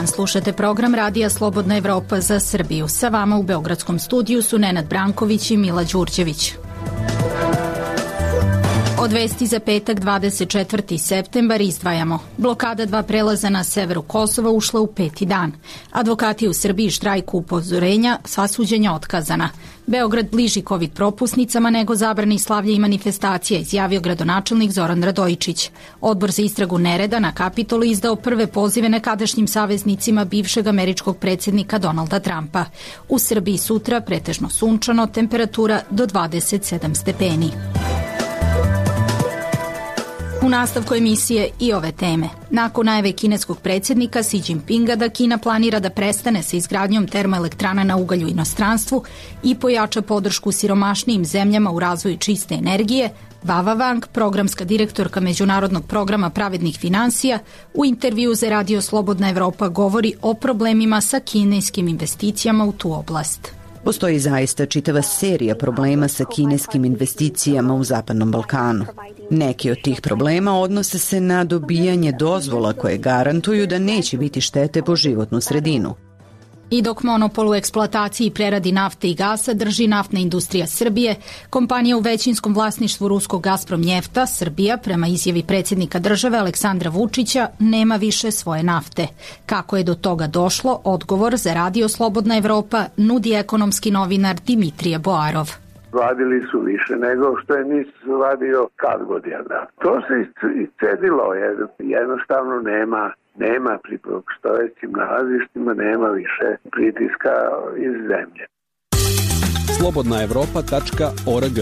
dan, slušate program Radija Slobodna Evropa za Srbiju. Sa vama u Beogradskom studiju su Nenad Branković i Mila Đurđević. Od vesti za petak 24. septembar izdvajamo. Blokada 2 prelaza na severu Kosova ušla u 5. dan. Advokati u Srbiji štrajku upozorenja, sva suđenja otkazana. Beograd bliži COVID propusnicama nego zabrani slavlja i manifestacija, izjavio gradonačelnik Zoran Radojičić. Odbor za istragu nereda na Kapitolu izdao prve pozive nekadašnjim saveznicima bivšeg američkog predsjednika Donalda Trumpa. U Srbiji sutra pretežno sunčano, temperatura do 27 stepeni. U nastavku emisije i ove teme. Nakon najave kineskog predsjednika Xi Jinpinga da Kina planira da prestane sa izgradnjom termoelektrana na ugalj u inostranstvu i pojača podršku siromašnijim zemljama u razvoju čiste energije, Vava Wang, programska direktorka Međunarodnog programa pravednih finansija, u intervju za Radio Slobodna Evropa govori o problemima sa kineskim investicijama u tu oblast. Postoji zaista čitava serija problema sa kineskim investicijama u Zapadnom Balkanu. Neki od tih problema odnose se na dobijanje dozvola koje garantuju da neće biti štete po životnu sredinu. I dok monopol u eksploataciji i preradi nafte i gasa drži naftna industrija Srbije, kompanija u većinskom vlasništvu ruskog Gazprom Njefta, Srbija, prema izjavi predsjednika države Aleksandra Vučića, nema više svoje nafte. Kako je do toga došlo, odgovor za Radio Slobodna Evropa nudi ekonomski novinar Dimitrije Boarov. Vadili su više nego što je NIS vadio kad godina. To se iscedilo, jer jednostavno nema pri postojećim nalazištima, nema više pritiska iz zemlje. slobodnaevropa.org.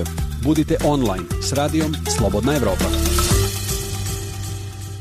Budite online s radijom Slobodna Evropa.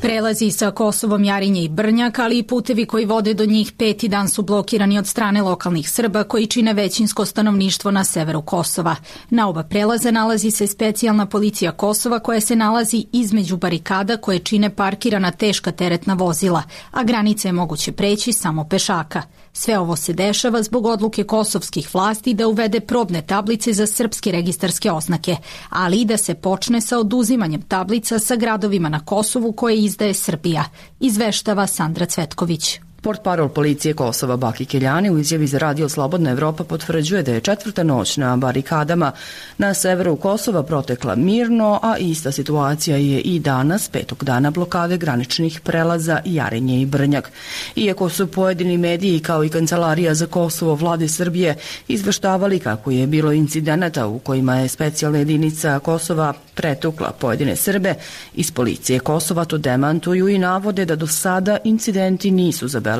Prelazi sa Kosovom Jarinje i Brnjak, ali i putevi koji vode do njih 5. dan su blokirani od strane lokalnih Srba koji čine većinsko stanovništvo na severu Kosova. Na oba prelaza nalazi se specijalna policija Kosova koja se nalazi između barikada koje čine parkirana teška teretna vozila, a granice je moguće preći samo pešaka. Sve ovo se dešava zbog odluke kosovskih vlasti da uvede probne tablice za srpske registarske oznake, ali i da se počne sa oduzimanjem tablica sa gradovima na Kosovu koje izdaje Srbija, izveštava Sandra Cvetković. Portparol policije Kosova Baki Keljani u izjavi za Radio Slobodna Evropa potvrđuje da je 4. noć na barikadama na severu Kosova protekla mirno, a ista situacija je i danas, 5. dana blokade graničnih prelaza Jarinje i Brnjak. Iako su pojedini mediji kao i Kancelarija za Kosovo vlade Srbije izveštavali kako je bilo incidenata u kojima je specijalna jedinica Kosova pretukla pojedine Srbe, iz policije Kosova to demantuju i navode da do sada incidenti nisu zabeleženi.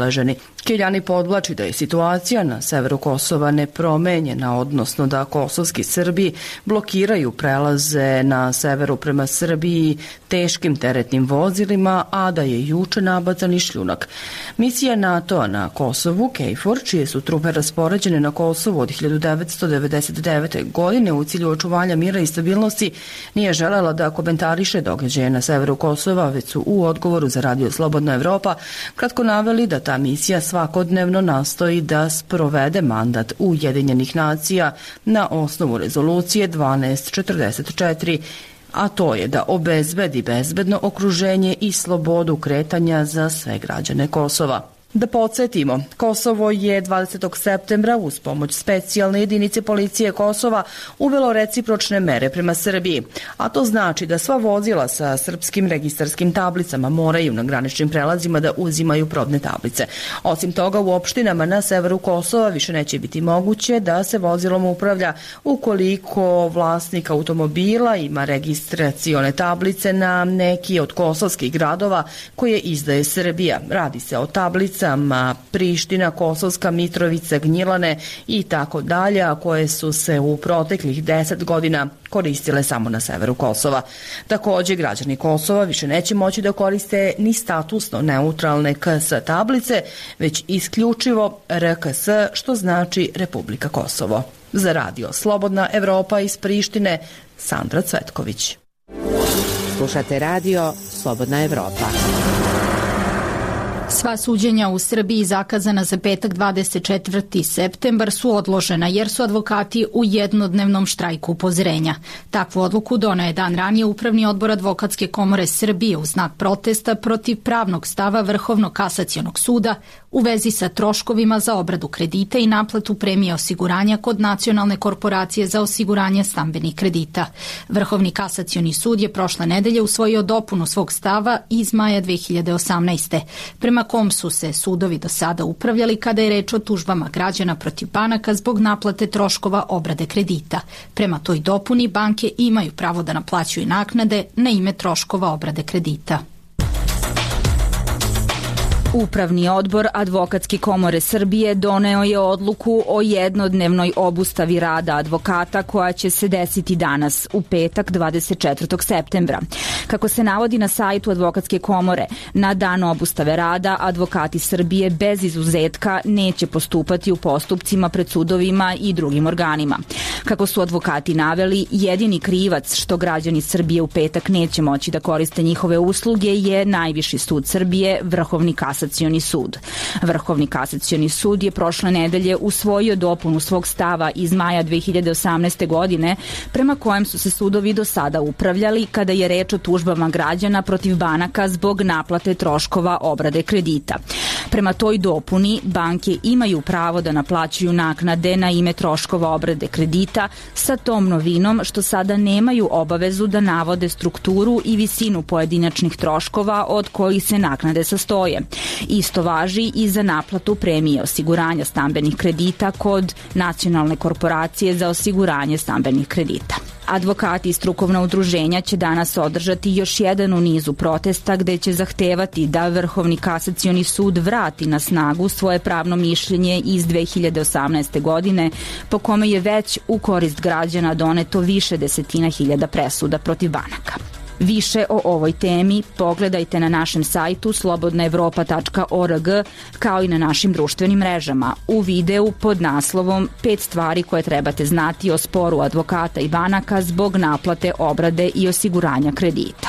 Keljani podvlači da je situacija na severu Kosova nepromenjena, odnosno da kosovski Srbi blokiraju prelaze na severu prema Srbiji teškim teretnim vozilima, a da je juče nabacan i šljunak. Misija NATO-a na Kosovu, KFOR, čije su trupe raspoređene na Kosovu od 1999. godine u cilju očuvanja mira i stabilnosti, nije želela da komentariše događaje na severu Kosova, već su u odgovoru za Radio Slobodna Evropa kratko naveli da ta misija svakodnevno nastoji da sprovede mandat Ujedinjenih nacija na osnovu rezolucije 1244, a to je da obezbedi bezbedno okruženje i slobodu kretanja za sve građane Kosova. Da podsjetimo, Kosovo je 20. septembra uz pomoć specijalne jedinice policije Kosova uvelo recipročne mere prema Srbiji, a to znači da sva vozila sa srpskim registarskim tablicama moraju na graničnim prelazima da uzimaju probne tablice. Osim toga, u opštinama na severu Kosova više neće biti moguće da se vozilom upravlja ukoliko vlasnik automobila ima registracione tablice na neki od kosovskih gradova koje izdaje Srbija. Radi se o tablicama Priština, Kosovska, Mitrovica, Gnjilane i tako dalje, a koje su se u proteklih 10 godina koristile samo na severu Kosova. Također, građani Kosova više neće moći da koriste ni statusno neutralne KS tablice, već isključivo RKS, što znači Republika Kosovo. Za Radio Slobodna Evropa iz Prištine, Sandra Cvetković. Slušate Radio Slobodna Evropa. Sva suđenja u Srbiji zakazana za petak 24. septembar su odložena jer su advokati u jednodnevnom štrajku upozorenja. Takvu odluku doneo je dan ranije Upravni odbor Advokatske komore Srbije u znak protesta protiv pravnog stava Vrhovnog kasacionog suda u vezi sa troškovima za obradu kredita i naplatu premije osiguranja kod Nacionalne korporacije za osiguranje stambenih kredita. Vrhovni kasacioni sud je prošle nedelje usvojio dopunu svog stava iz maja 2018. prema kom su se sudovi do sada upravljali kada je reč o tužbama građana protiv banaka zbog naplate troškova obrade kredita. Prema toj dopuni banke imaju pravo da naplaćuju naknade na ime troškova obrade kredita. Upravni odbor Advokatske komore Srbije doneo je odluku o jednodnevnoj obustavi rada advokata koja će se desiti danas, u petak 24. septembra. Kako se navodi na sajtu Advokatske komore, na dan obustave rada advokati Srbije bez izuzetka neće postupati u postupcima pred sudovima i drugim organima. Kako su advokati naveli, jedini krivac što građani Srbije u petak neće moći da koriste njihove usluge je Najviši sud Srbije, Vrhovni kasacioni sud. Vrhovni kasacioni sud je prošle nedelje usvojio dopunu svog stava iz maja 2018. godine prema kojem su se sudovi do sada upravljali kada je reč o tužbama građana protiv banaka zbog naplate troškova obrade kredita. Prema toj dopuni banke imaju pravo da naplaćuju naknade na ime troškova obrade kredita sa tom novinom što sada nemaju obavezu da navode strukturu i visinu pojedinačnih troškova od kojih se naknade sastoje. Isto važi i za naplatu premije osiguranja stambenih kredita kod Nacionalne korporacije za osiguranje stambenih kredita. Advokati i strukovna udruženja će danas održati još jedan u nizu protesta gde će zahtevati da Vrhovni kasacioni sud vrati na snagu svoje pravno mišljenje iz 2018. godine po kome je već u korist građana doneto više desetina hiljada presuda protiv banaka. Više o ovoj temi pogledajte na našem sajtu slobodnaevropa.org kao i na našim društvenim mrežama u videu pod naslovom 5 stvari koje trebate znati o sporu advokata i banaka zbog naplate obrade i osiguranja kredita.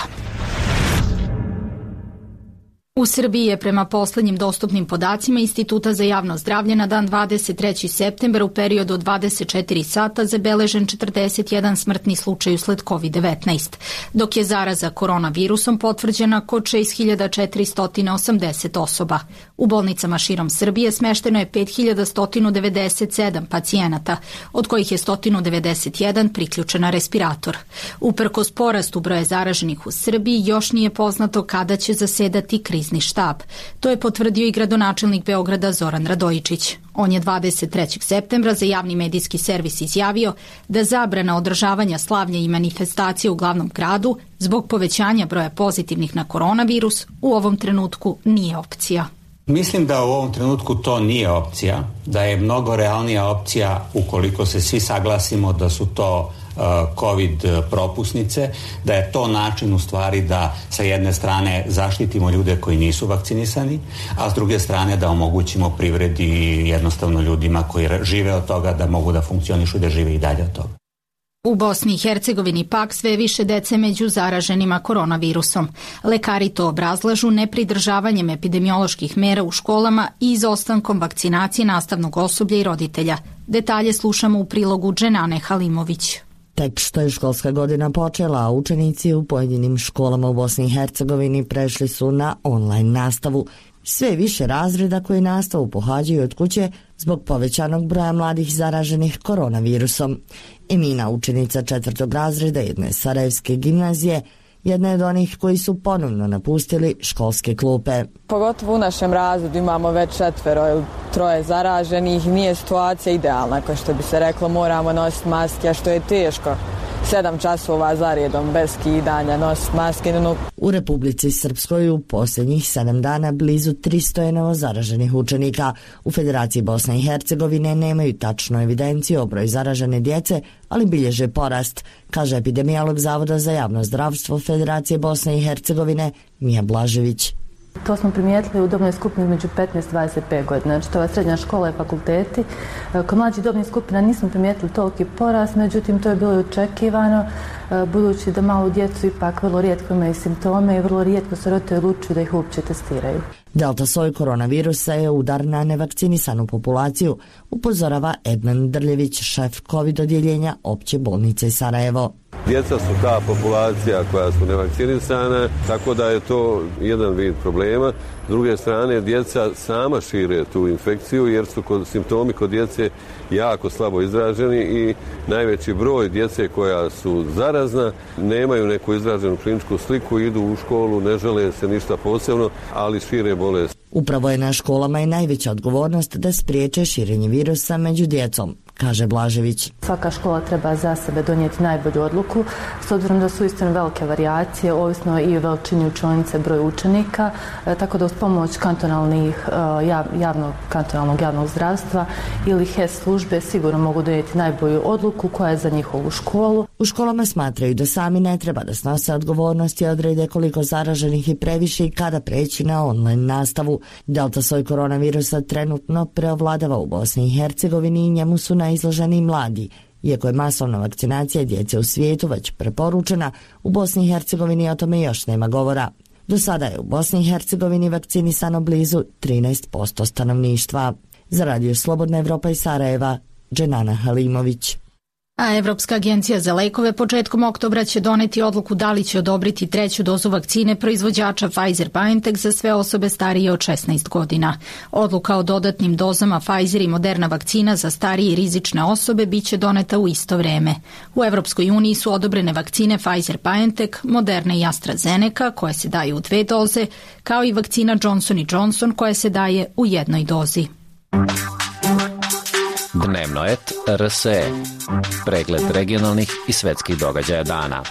U Srbiji je prema poslednjim dostupnim podacima Instituta za javno zdravlje na dan 23. septembar u periodu od 24 sata zabeležen 41 smrtni slučaj usled COVID-19, dok je zaraza koronavirusom potvrđena kod 6480 osoba. U bolnicama širom Srbije smešteno je 5197 pacijenata, od kojih je 191 priključen na respirator. Uprkos porastu broja zaraženih u Srbiji, još nije poznato kada će zasedati krizni štab. To je potvrdio i gradonačelnik Beograda Zoran Radojičić. On je 23. septembra za javni medijski servis izjavio da zabrana održavanja slavlja i manifestacije u glavnom gradu zbog povećanja broja pozitivnih na koronavirus u ovom trenutku nije opcija. Mislim da u ovom trenutku to nije opcija, da je mnogo realnija opcija ukoliko se svi saglasimo da su to COVID propusnice, da je to način u stvari da sa jedne strane zaštitimo ljude koji nisu vakcinisani, a s druge strane da omogućimo privredi i jednostavno ljudima koji žive od toga da mogu da funkcionišu i da žive i dalje od toga. U Bosni i Hercegovini pak sve više dece među zaraženima koronavirusom. Lekari to obrazlažu nepridržavanjem epidemioloških mera u školama i izostankom vakcinacije nastavnog osoblja i roditelja. Detalje slušamo u prilogu Dženane Halimović. Tek što je školska godina počela, a učenici u pojedinim školama u Bosni i Hercegovini prešli su na online nastavu. Sve više razreda koji nastavu pohađaju od kuće zbog povećanog broja mladih zaraženih koronavirusom. Emina, učenica 4. razreda jedne sarajevske gimnazije, jedna je od onih koji su ponovno napustili školske klupe. Pogotovo u našem razredu imamo već 4 ili 3 zaraženih, nije situacija idealna, kao što bi se reklo, moramo nositi maske, a što je teško. 7 časova za redom bez skidanja nositi maske. U Republici Srpskoj u posljednjih 7 dana blizu 300 je novozaraženih učenika. U Federaciji Bosne i Hercegovine nemaju tačnu evidenciju o broju zaražene djece, ali bilježe porast, kaže epidemiolog Zavoda za javno zdravstvo Federacije Bosne i Hercegovine Mija Blažević. To smo primijetili u dobnoj skupini među 15 i 25 godina, znači to je srednja škola i fakulteti. Kod mlađih dobnih skupina nismo primijetili toliki porast, međutim to je bilo očekivano, budući da malu djecu ipak vrlo rijetko imaju simptome i vrlo rijetko se roditelji odlučuju da ih uopće testiraju. Delta soj koronavirusa je udar na nevakcinisanu populaciju, upozorava Edman Drljević, šef COVID odjeljenja Opće bolnice Sarajevo. Djeca su ta populacija koja su nevakcinisana, tako da je to jedan vid problema. S druge strane, djeca sama šire tu infekciju jer su simptomi kod djece jako slabo izraženi i najveći broj djece koja su zarazna nemaju neku izraženu kliničku sliku, idu u školu, ne žele se ništa posebno, ali šire bolest. Upravo je na školama i najveća odgovornost da spriječe širenje virusa među djecom, kaže Blažević. Svaka škola treba za sebe donijeti najbolju odluku, s obzirom da su istino velike varijacije, ovisno i o veličini učionice, broj učenika, tako da uz pomoć kantonalnog javnog zdravstva ili HES službe sigurno mogu donijeti najbolju odluku koja je za njihovu školu. U školama smatraju da sami ne treba da snose odgovornost i odrede koliko zaraženih i previše i kada preći na online nastavu. Delta soj koronavirusa trenutno preovladava u Bosni i Hercegovini i njemu su najizloženiji mladi. Iako je masovna vakcinacija djece u svijetu već preporučena, u Bosni i Hercegovini o tome još nema govora. Do sada je u Bosni i Hercegovini vakcinisano blizu 13% stanovništva. Za Radio Slobodna Evropa iz Sarajeva, Dženana Halimović. A Evropska agencija za lekove početkom oktobra će doneti odluku da li će odobriti treću dozu vakcine proizvođača Pfizer-BioNTech za sve osobe starije od 16 godina. Odluka o dodatnim dozama Pfizer i Moderna vakcina za starije i rizične osobe biće doneta u isto vreme. U Evropskoj uniji su odobrene vakcine Pfizer-BioNTech, Moderna i AstraZeneca koje se daju u 2 doze, kao i vakcina Johnson & Johnson koja se daje u 1 dozi. Dnevno et RSE. Pregled regionalnih i svetskih događaja dana.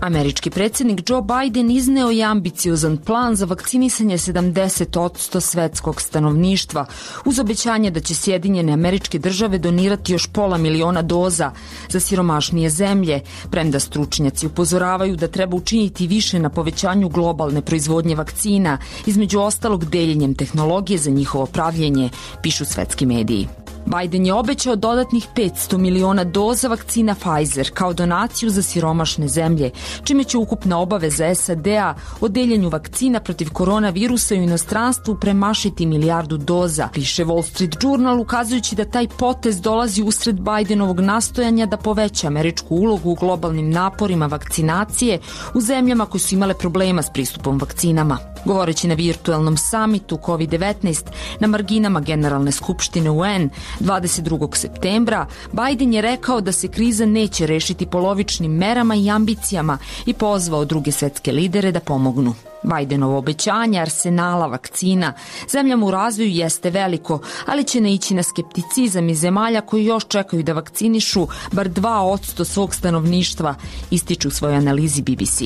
Američki predsjednik Joe Biden izneo je ambiciozan plan za vakcinisanje 70% svetskog stanovništva, uz obećanje da će Sjedinjene Američke Države donirati još 500 miliona doza za siromašnije zemlje, premda stručnjaci upozoravaju da treba učiniti više na povećanju globalne proizvodnje vakcina, između ostalog deljenjem tehnologije za njihovo pravljenje, pišu svetski mediji. Biden je obećao dodatnih 500 miliona doza vakcina Pfizer kao donaciju za siromašne zemlje, čime će ukupna obaveza SAD-a o deljenju vakcina protiv koronavirusa u inostranstvu premašiti 1 milijardu doza, piše Wall Street Journal, ukazujući da taj potez dolazi usred Bidenovog nastojanja da poveća američku ulogu u globalnim naporima vakcinacije u zemljama koje su imale problema s pristupom vakcinama. Govoreći na virtualnom samitu COVID-19 na marginama Generalne skupštine UN 22. septembra, Biden je rekao da se kriza neće rešiti polovičnim merama i ambicijama i pozvao druge svetske lidere da pomognu. Bidenovo obećanje arsenala vakcina zemljama u razvoju jeste veliko, ali će naići na skepticizam iz zemalja koji još čekaju da vakcinišu bar 2% svog stanovništva, ističu u svojoj analizi BBC.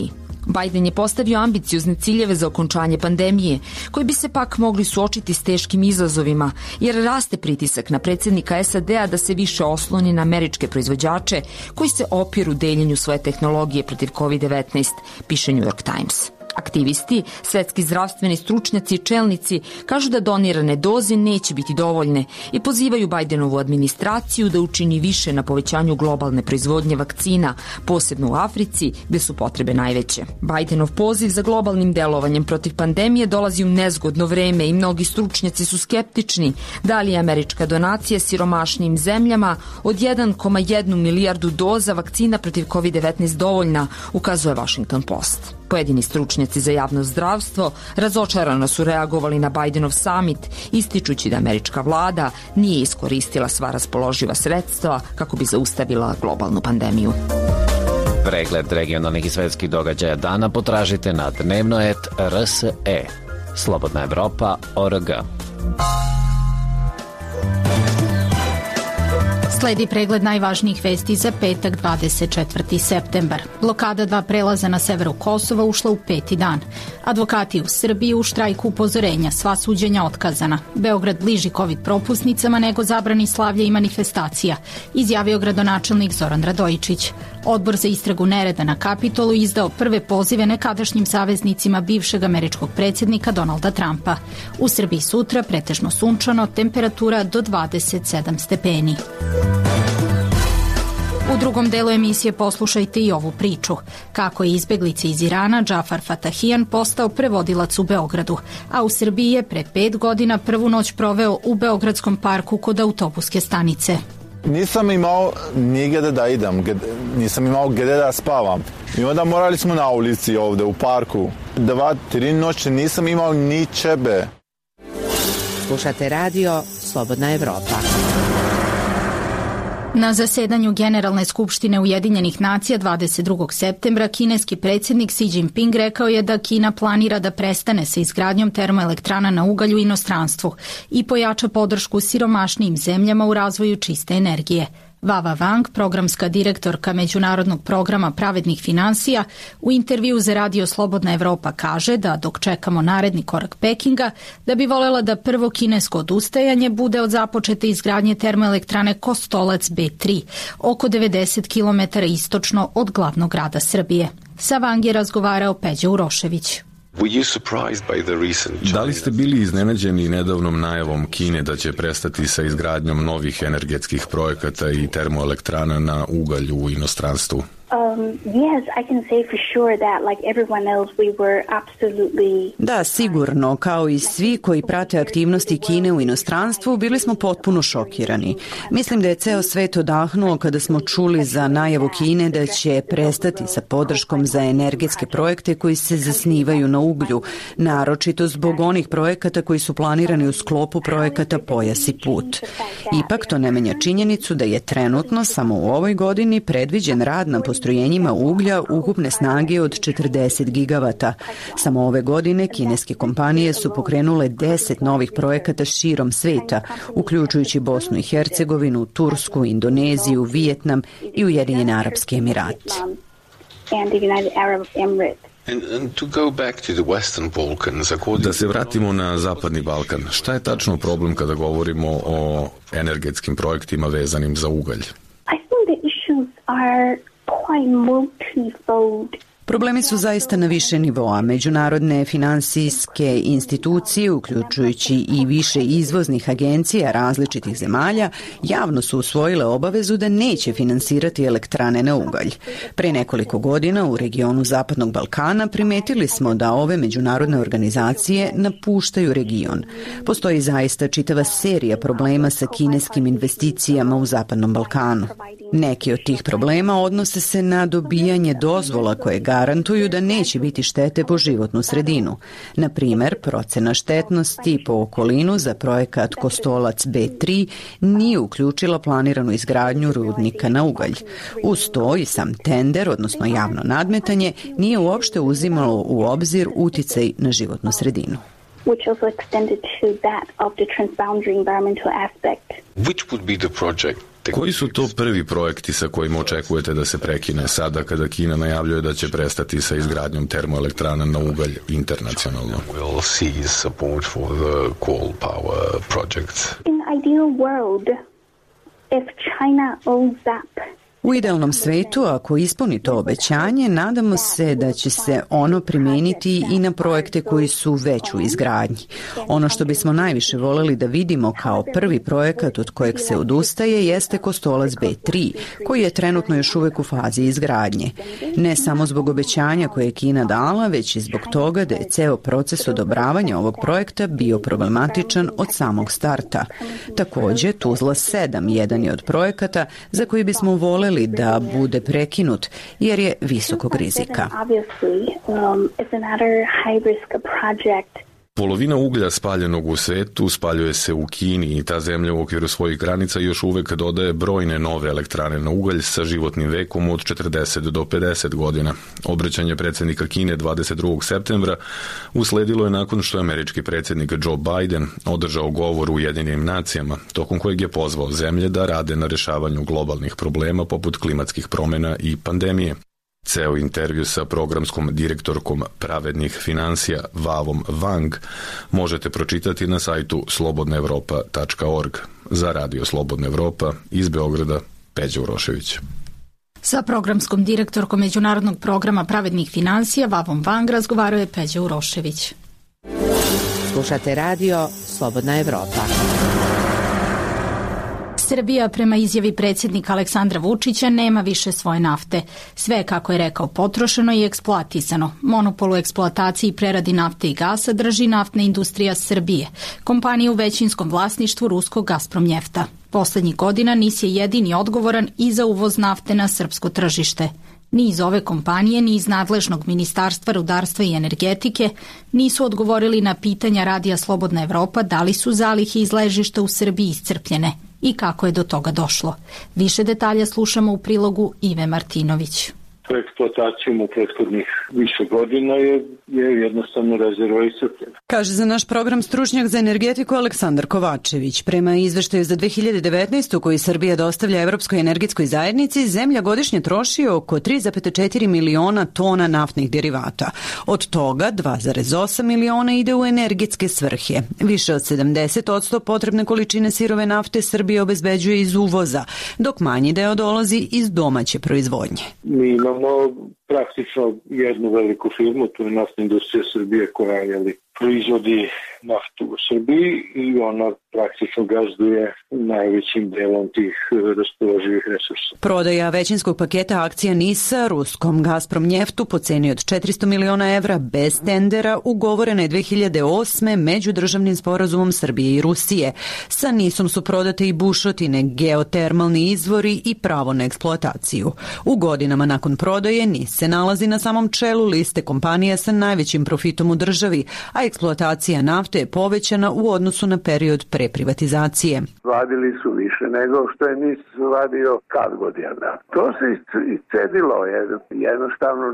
Biden je postavio ambiciozne ciljeve za okončanje pandemije, koji bi se pak mogli suočiti s teškim izazovima, jer raste pritisak na predsjednika SAD-a da se više osloni na američke proizvođače koji se opiru deljenju svoje tehnologije protiv COVID-19, piše New York Times. Aktivisti, svetski zdravstveni stručnjaci i čelnici kažu da donirane doze neće biti dovoljne i pozivaju Bidenovu administraciju da učini više na povećanju globalne proizvodnje vakcina, posebno u Africi gde su potrebe najveće. Bidenov poziv za globalnim delovanjem protiv pandemije dolazi u nezgodno vreme i mnogi stručnjaci su skeptični da li je američka donacija siromašnijim zemljama od 1,1 milijardu doza vakcina protiv COVID-19 dovoljna, ukazuje Washington Post. Pojedini stručnjaci za javno zdravstvo razočarano su reagovali na Bidenov summit, ističući da američka vlada nije iskoristila sva raspoloživa sredstva kako bi zaustavila globalnu pandemiju. Pregled regionalnih i svetskih događaja dana potražite na dnevnoet.rse. Slobodna Evropa.org. Sledi pregled najvažnijih vesti za petak 24. septembar. Blokada 2 prelaza na severu Kosova ušla u 5. dan. Advokati u Srbiji u štrajku upozorenja, sva suđenja otkazana. Beograd bliži COVID propusnicama nego zabrani slavlja i manifestacija, izjavio gradonačelnik Zoran Radojičić. Odbor za istragu nereda na Kapitolu izdao prve pozive nekadašnjim saveznicima bivšeg američkog predsjednika Donalda Trumpa. U Srbiji sutra pretežno sunčano, temperatura do 27 stepeni. U drugom delu emisije poslušajte i ovu priču. Kako je izbeglica iz Irana Džafar Fatahijan postao prevodilac u Beogradu, a u Srbiji je pre 5 godina prvu noć proveo u Beogradskom parku kod autobuske stanice. Nisam imao nigde da idem, nisam imao gde da spavam. I onda morali smo na ulici ovde u parku. 2-3 noći nisam imao ni čebe. Slušate radio Slobodna Evropa. Na zasedanju Generalne skupštine Ujedinjenih nacija 22. septembra kineski predsjednik Xi Jinping rekao je da Kina planira da prestane sa izgradnjom termoelektrana na ugalj u inostranstvu i pojača podršku siromašnijim zemljama u razvoju čiste energije. Vava Wang, programska direktorka Međunarodnog programa pravednih finansija, u intervju za radio Slobodna Evropa kaže da dok čekamo naredni korak Pekinga, da bi volela da prvo kinesko odustajanje bude od započete izgradnje termoelektrane Kostolac B3, oko 90 km istočno od glavnog grada Srbije. Sa Wang je razgovarao Peđa Urošević. Da li ste bili iznenađeni nedavnom najavom Kine da će prestati sa izgradnjom novih energetskih projekata i termoelektrana na ugalj u inostranstvu? Da, sigurno, kao i svi koji prate aktivnosti Kine u inostranstvu, bili smo potpuno šokirani. Mislim da je ceo svet odahnuo kada smo čuli za najavu Kine da će prestati sa podrškom za energetske projekte koji se zasnivaju na uglju, naročito zbog onih projekata koji su planirani u sklopu projekata Pojas i put. Ipak to ne menja činjenicu da je trenutno samo u ovoj godini predviđen rad na postrojenjima uglja ukupne snage od 40 gigavata. Samo ove godine kineske kompanije su pokrenule 10 novih projekata širom sveta, uključujući Bosnu i Hercegovinu, Tursku, Indoneziju, Vijetnam i Ujedinjene Arapske Emirate. Da se vratimo na Zapadni Balkan, šta je tačno problem kada govorimo o energetskim projektima vezanim za ugalj? Problemi su zaista na više nivoa. Međunarodne finansijske institucije, uključujući i više izvoznih agencija različitih zemalja, javno su usvojile obavezu da neće finansirati elektrane na ugalj. Pre nekoliko godina u regionu Zapadnog Balkana primetili smo da ove međunarodne organizacije napuštaju region. Postoji zaista čitava serija problema sa kineskim investicijama u Zapadnom Balkanu. Neki od tih problema odnose se na dobijanje dozvola koje garantuju da neće biti štete po životnu sredinu. Na primer, procena štetnosti po okolinu za projekat Kostolac B3 nije uključila planiranu izgradnju rudnika na ugalj. Uz to i sam tender, odnosno javno nadmetanje, nije uopšte uzimalo u obzir uticaj na životnu sredinu. Which also extended to that of the transboundary environmental aspect. Which would be the project? Koji su to prvi projekti sa kojima očekujete da se prekine sada kada Kina najavljuje da će prestati sa izgradnjom termoelektrana na ugalj internacionalno? We'll see support for the coal power projects. In ideal world, if China owns up U idealnom svetu, ako ispuni to obećanje, nadamo se da će se ono primeniti i na projekte koji su već u izgradnji. Ono što bismo najviše voleli da vidimo kao prvi projekat od kojeg se odustaje jeste Kostolac B3, koji je trenutno još uvek u fazi izgradnje. Ne samo zbog obećanja koje je Kina dala, već i zbog toga da je ceo proces odobravanja ovog projekta bio problematičan od samog starta. Takođe, Tuzla 7 jedan je od projekata za koji bismo voleli da bude prekinut jer je visokog rizika. Polovina uglja spaljenog u svetu spaljuje se u Kini i ta zemlja u okviru svojih granica još uvek dodaje brojne nove elektrane na ugalj sa životnim vekom od 40 do 50 godina. Obraćanje predsjednika Kine 22. septembra usledilo je nakon što je američki predsjednik Joe Biden održao govor u Ujedinjenim nacijama, tokom kojeg je pozvao zemlje da rade na rešavanju globalnih problema poput klimatskih promjena i pandemije. Ceo intervju sa programskom direktorkom pravednih finansija Vavom Wang možete pročitati na sajtu slobodnaevropa.org. Za radio Slobodna Evropa iz Beograda, Peđa Urošević. Sa programskom direktorkom Međunarodnog programa pravednih finansija Vavom Wang razgovarao je Peđa Urošević. Slušate radio Slobodna Evropa. Srbija, prema izjavi predsjednika Aleksandra Vučića, nema više svoje nafte. Sve, kako je rekao, potrošeno i eksploatisano. Monopol u eksploataciji i preradi nafte i gasa drži Naftna industrija Srbije, kompanija u većinskom vlasništvu ruskog Gazpromnjefta. Poslednjih godina NIS je jedini odgovoran i za uvoz nafte na srpsko tržište. Ni iz ove kompanije, ni iz nadležnog Ministarstva rudarstva i energetike nisu odgovorili na pitanja Radija Slobodna Evropa da li su zalihe iz ležišta u Srbiji iscrpljene i kako je do toga došlo. Više detalja slušamo u prilogu Ive Martinović. Eksploatacijom u prethodnih više godina je jednostavno rezerva iscrpljena. Kaže za naš program stručnjak za energetiku Aleksandar Kovačević. Prema izveštaju za 2019. koji Srbija dostavlja Evropskoj energetskoj zajednici, zemlja godišnje troši oko 3,4 miliona tona naftnih derivata. Od toga 2,8 miliona ide u energetske svrhe. Više od 70% potrebne količine sirove nafte Srbija obezbeđuje iz uvoza, dok manji deo dolazi iz domaće proizvodnje. Mi imamo praktično jednu veliku firmu, to je Naftna industrija Srbije koja proizvodi naftu u Srbiji i ona praktično gazduje najvećim delom tih raspoloživih resursa. Prodaja većinskog paketa akcija NIS-a ruskom Gazpromnjeftu po ceni od 400 miliona evra bez tendera ugovorena je 2008. međudržavnim sporazumom Srbije i Rusije. Sa NIS-om su prodate i bušotine, geotermalni izvori i pravo na eksploataciju. U godinama nakon prodaje NIS se nalazi na samom čelu liste kompanija sa najvećim profitom u državi, a eksploatacija nafte je povećana u odnosu na period pre privatizacije. Vadili su više nego što je NIS vadio kad godina. To se iscedilo, jednostavno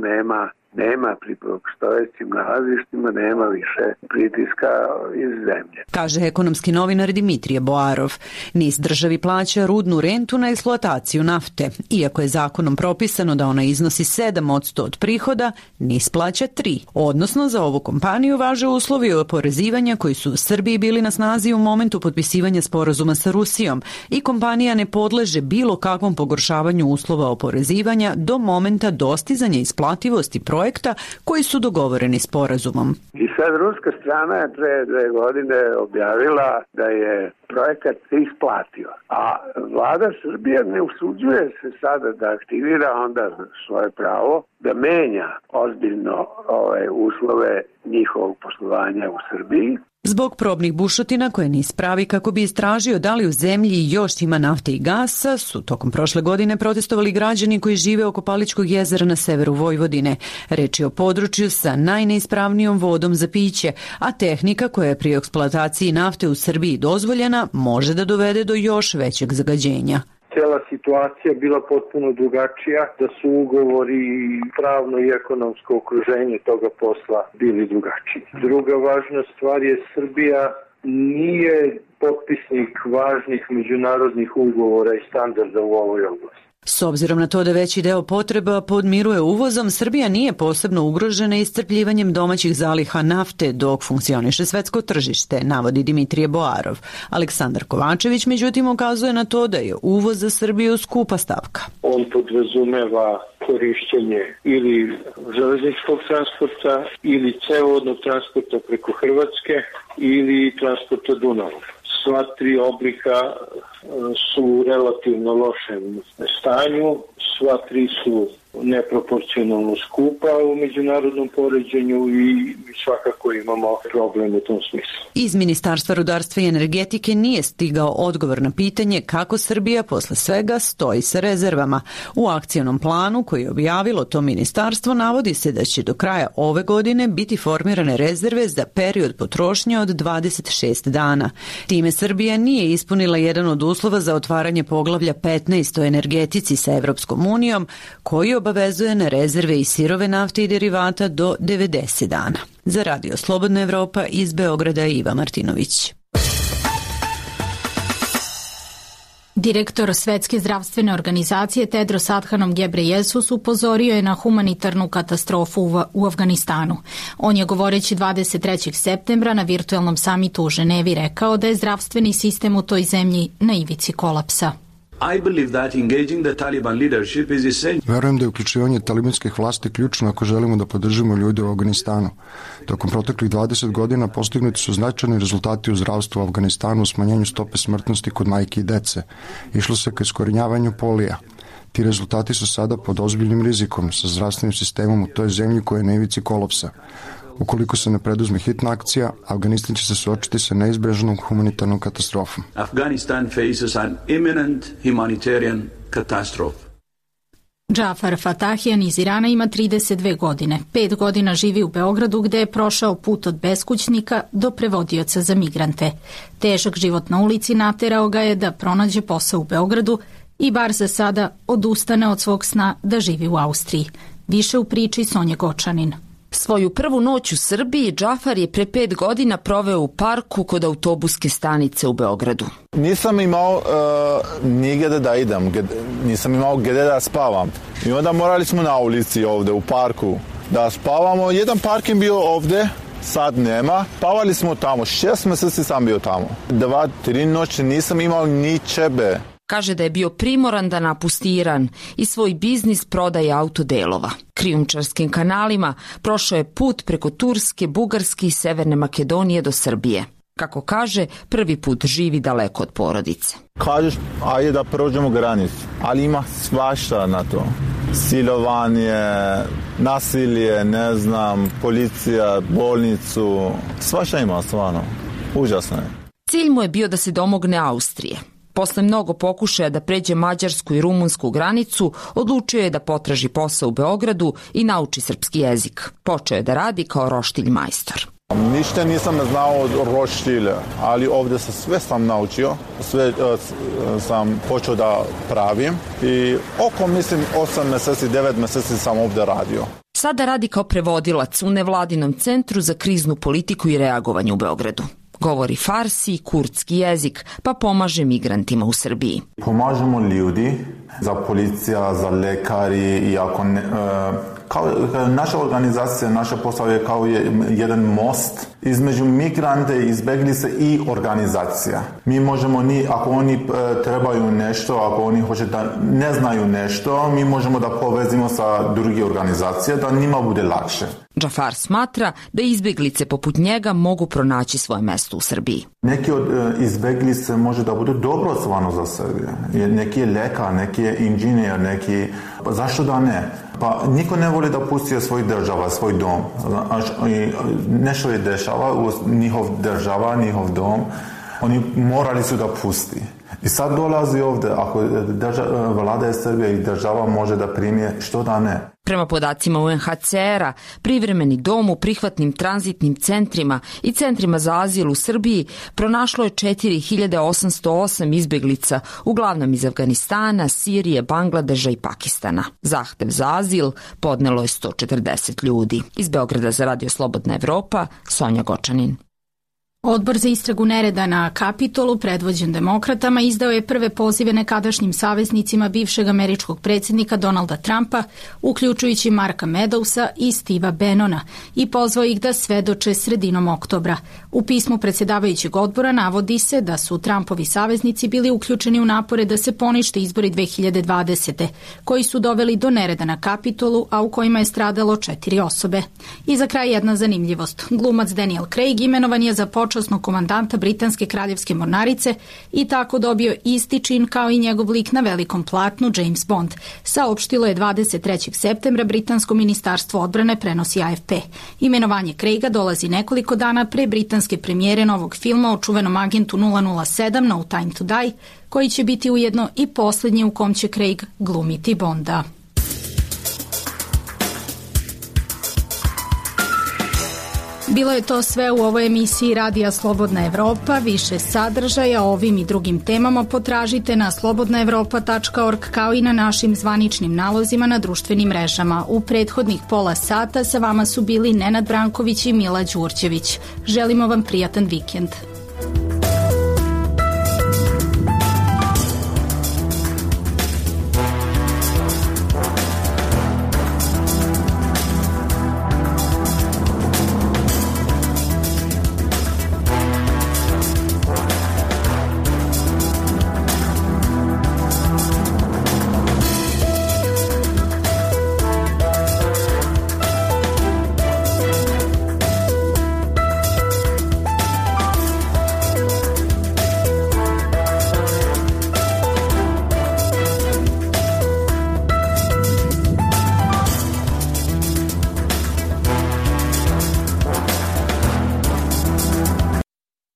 nema pri postojećim nalazištima, nema više pritiska iz zemlje. Kaže ekonomski novinar Dimitrije Boarov. NIS državi plaća rudnu rentu na eksploataciju nafte. Iako je zakonom propisano da ona iznosi 7% od prihoda, NIS plaća 3%. Odnosno, za ovu kompaniju važe uslovi oporezivanja koji su u Srbiji bili na snazi u momentu potpisivanja sporazuma sa Rusijom i kompanija ne podleže bilo kakvom pogoršavanju uslova oporezivanja do momenta dostizanja isplativosti projekta koji su dogovoreni sporazumom. I sad ruska strana je pre 2 godine objavila da je projekat se isplatio, a vlada Srbije ne usuđuje se sada da aktivira onda svoje pravo da menja ozbiljno uslove njihovog poslovanja u Srbiji. Zbog probnih bušotina koje NIS pravi kako bi istražio da li u zemlji još ima nafte i gasa, su tokom prošle godine protestovali građani koji žive oko Palićkog jezera na severu Vojvodine. Reč je o području sa najneispravnijom vodom za piće, a tehnika koja je pri eksploataciji nafte u Srbiji dozvoljena može da dovede do još većeg zagađenja. Cijela situacija bila potpuno drugačija, da su ugovori i pravno i ekonomsko okruženje toga posla bili drugačiji. Druga važna stvar je Srbija nije potpisnik važnih međunarodnih ugovora i standarda u ovoj oblasti. S obzirom na to da veći deo potreba podmiruje uvozom, Srbija nije posebno ugrožena iscrpljivanjem domaćih zaliha nafte dok funkcioniše svetsko tržište, navodi Dimitrije Boarov. Aleksandar Kovačević međutim ukazuje na to da je uvoz za Srbiju skupa stavka. On podrazumeva korišćenje ili železničkog transporta ili cevovodnog transporta preko Hrvatske ili transporta Dunavom. Sva 3 oblika su relativno lošem stanju, sva 3 su neproporcionalno skupa u međunarodnom poređenju i svakako imamo problem u tom smislu. Iz Ministarstva rudarstva i energetike nije stigao odgovor na pitanje kako Srbija posle svega stoji sa rezervama. U akcionom planu koji je objavilo to ministarstvo navodi se da će do kraja ove godine biti formirane rezerve za period potrošnje od 26 dana. Time Srbija nije ispunila jedan od uslova za otvaranje poglavlja 15 o energetici sa Evropskom unijom, koji obavezuje na rezerve i sirove nafte i derivata do 90 dana. Za Radio Slobodna Evropa iz Beograda Iva Martinović. Direktor Svetske zdravstvene organizacije Tedros Adhanom Ghebreyesus upozorio je na humanitarnu katastrofu u Afganistanu. On je govoreći 23. septembra na virtualnom samitu u Ženevi rekao da je zdravstveni sistem u toj zemlji na ivici kolapsa. Verujem da je uključivanje talibanskih vlasti ključno ako želimo da podržimo ljude u Afganistanu. Tokom proteklih 20 godina postignuti su značajni rezultati u zdravstvu u Afganistanu u smanjenju stope smrtnosti kod majke i dece. Išlo se ka iskorenjavanju polija. Ti rezultati su sada pod ozbiljnim rizikom sa zdravstvenim sistemom u toj zemlji koja je na ivici kolapsa. Ukoliko se ne preduzme hitna akcija, Afganistan će se suočiti sa neizbežnom humanitarnom katastrofom. Afghanistan faces an imminent humanitarian catastrophe. Džafar Fatahijan iz Irana ima 32 godine. 5 godina živi u Beogradu gde je prošao put od beskućnika do prevodioca za migrante. Težak život na ulici naterao ga je da pronađe posao u Beogradu i bar za sada odustane od svog sna da živi u Austriji. Više u priči Sonja Gočanin. Svoju prvu noć u Srbiji Džafar je pre 5 godina proveo u parku kod autobuske stanice u Beogradu. Nisam imao nigde da idem, nisam imao gde da spavam. I onda morali smo na ulici ovde u parku da spavamo. Jedan parking bio ovde, sad nema. Spavali smo tamo, 6 meseci sam bio tamo. 2-3 noći nisam imao ni čebe. Kaže da je bio primoran da napusti Iran i svoj biznis prodaje autodelova. Krijumčarskim kanalima prošao je put preko Turske, Bugarske i Severne Makedonije do Srbije. Kako kaže, prvi put živi daleko od porodice. Kažeš, ajde da prođemo granicu, ali ima svašta na to. Silovanje, nasilje, ne znam, policija, bolnicu, svašta ima stvarno. Užasno je. Cilj mu je bio da se domogne Austrije. Posle mnogo pokušaja da pređe mađarsku i rumunsku granicu, odlučio je da potraži posao u Beogradu i nauči srpski jezik. Počeo je da radi kao roštilj majstor. Ništa nisam znao od roštilja, ali ovdje sve sam naučio, sve sam počeo da pravim i oko, mislim, 8 meseci, 9 meseci sam ovdje radio. Sada radi kao prevodilac u nevladinom centru za kriznu politiku i reagovanje u Beogradu. Govori farsi i kurdski jezik, pa pomaže migrantima u Srbiji. Pomažemo ljudi, za policija, za lekari i ako ne, naša organizacija, naša posao je kao jedan most između migrante, izbeglice i organizacija. Mi možemo, ako oni trebaju nešto, ako oni hoće da ne znaju nešto, mi možemo da povezimo sa druge organizacije da njima bude lakše. Džafar smatra da izbeglice poput njega mogu pronaći svoje mesto u Srbiji. Neki od izbeglice može da bude dobro stvarno za Srbiju. Neki je lekar, neki je inženjer, neki... Pa zašto da ne? Pa niko ne voli da pusti svoj država, svoj dom. Nešto je dešava u njihov država, njihov dom. Oni morali su da pusti. I sad dolazi ovdje, ako vlada je Srbije i država može da primije, što da ne? Prema podacima UNHCR-a, privremeni dom u prihvatnim tranzitnim centrima i centrima za azil u Srbiji pronašlo je 4808 izbeglica, uglavnom iz Afganistana, Sirije, Bangladeža i Pakistana. Zahtev za azil podnelo je 140 ljudi. Iz Beograda za Radio Slobodna Evropa, Sonja Gočanin. Odbor za istragu nereda na Kapitolu, predvođen demokratama, izdao je prve pozive nekadašnjim saveznicima bivšeg američkog predsjednika Donalda Trumpa, uključujući Marka Medowsa i Steva Bannona, i pozvao ih da svedoče sredinom oktobra. U pismu predsjedavajućeg odbora navodi se da su Trumpovi saveznici bili uključeni u napore da se ponište izbori 2020. koji su doveli do nereda na Kapitolu, a u kojima je stradalo 4 osobe. I za kraj jedna zanimljivost. Glumac Daniel Craig imenovan je za počasnog komandanta Britanske kraljevske mornarice i tako dobio isti čin kao i njegov lik na velikom platnu James Bond. Saopštilo je 23. septembra Britansko ministarstvo odbrane, prenosi AFP. Imenovanje Craiga dolazi nekoliko dana pre britanske premijere novog filma o čuvenom agentu 007 No Time to Die, koji će biti ujedno i posljednji u kom će Craig glumiti Bonda. Bilo je to sve u ovoj emisiji Radija Slobodna Evropa. Više sadržaja o ovim i drugim temama potražite na slobodnaevropa.org kao i na našim zvaničnim nalozima na društvenim mrežama. U prethodnih pola sata sa vama su bili Nenad Branković i Mila Đurđević. Želimo vam prijatan vikend.